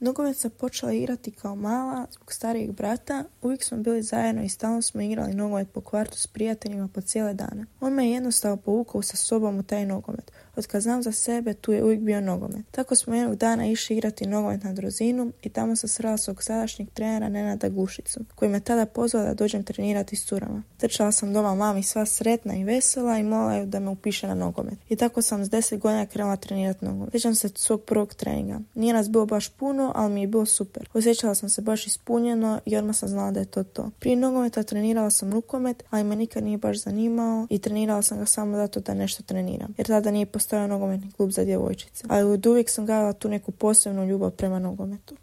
Nogomet sam počela igrati kao mala zbog starijeg brata. Uvijek smo bili zajedno i stalno smo igrali nogomet po kvartu s prijateljima po cijele dane. On me je jednostavno povukao sa sobom u taj nogomet. Od kad znam za sebe, tu je uvijek bio nogomet. Tako smo jednog dana išli igrati nogomet na Drozinu i tamo sam srela svog sadašnjeg trenera Nenada Gušicu, koji me tada pozvao da dođem trenirati s curama. Trčala sam doma mami sva sretna i vesela i molila ju da me upiše na nogomet. I tako sam s 10 godina krenula trenirati nogomet. Sjećam se svog prvog treninga. Nije nas bilo baš puno, ali mi je bilo super. Osjećala sam se baš ispunjeno i odmah sam znala da je to. Prije nogometa trenirala sam rukomet, ali me nikad nije baš zanimao i trenirala sam ga samo zato da nešto treniram. Jer tada nije postojao nogometni klub za djevojčice. Ali od uvijek sam gajala tu neku posebnu ljubav prema nogometu.